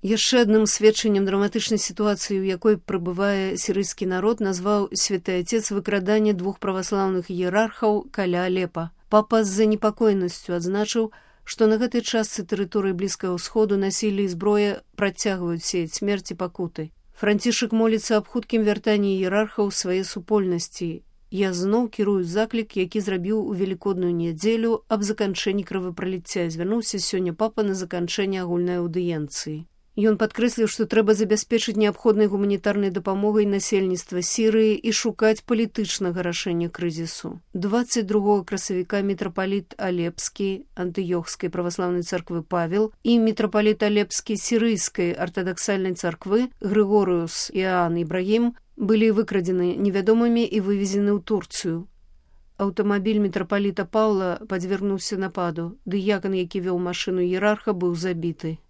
Яшчэ адным сведчаннем драматычнай сітуацыі, у якой прыбывае сірыйскі народ, назваў святы отец выкраданне 2 праваслаўных іерархаў каля Алепа. Папа з занепакоенасцю адзначыў, што на гэтай частцы тэрыторыі Блізкага ўсходу насілле і зброя працягваюць сеяць смерць і пакуты. Францішак моліцца аб хуткім вяртанні іерархаў свае супольнасці. Я зноў кірую заклік, які зрабіў у велікодную нядзелю аб заканчэнні крывапраліцця. Звярнуўся сёння папа на заканчэнне агульнай аўдыенцыі. Ён падкрэсліў, што трэба забяспечыць неабходнай гуманітарнай дапамогай насельніцтва Сірыі і шукаць палітычнага рашэння крызісу. 22 красавіка мітрапаліт Алепскі антыёхскай праваслаўнай царквы Павел і мітрапаліт Алепскі сірыйскай артадаксальнай царквы Грыгорыус Іоанн Ібрагім былі выкрадзены невядомымі і вывезены ў Турцыю. Аўтамабіль мітрапаліта Паўла падвергнуўся нападу. Дыякан, які вёў машыну іерарха, быў забіты.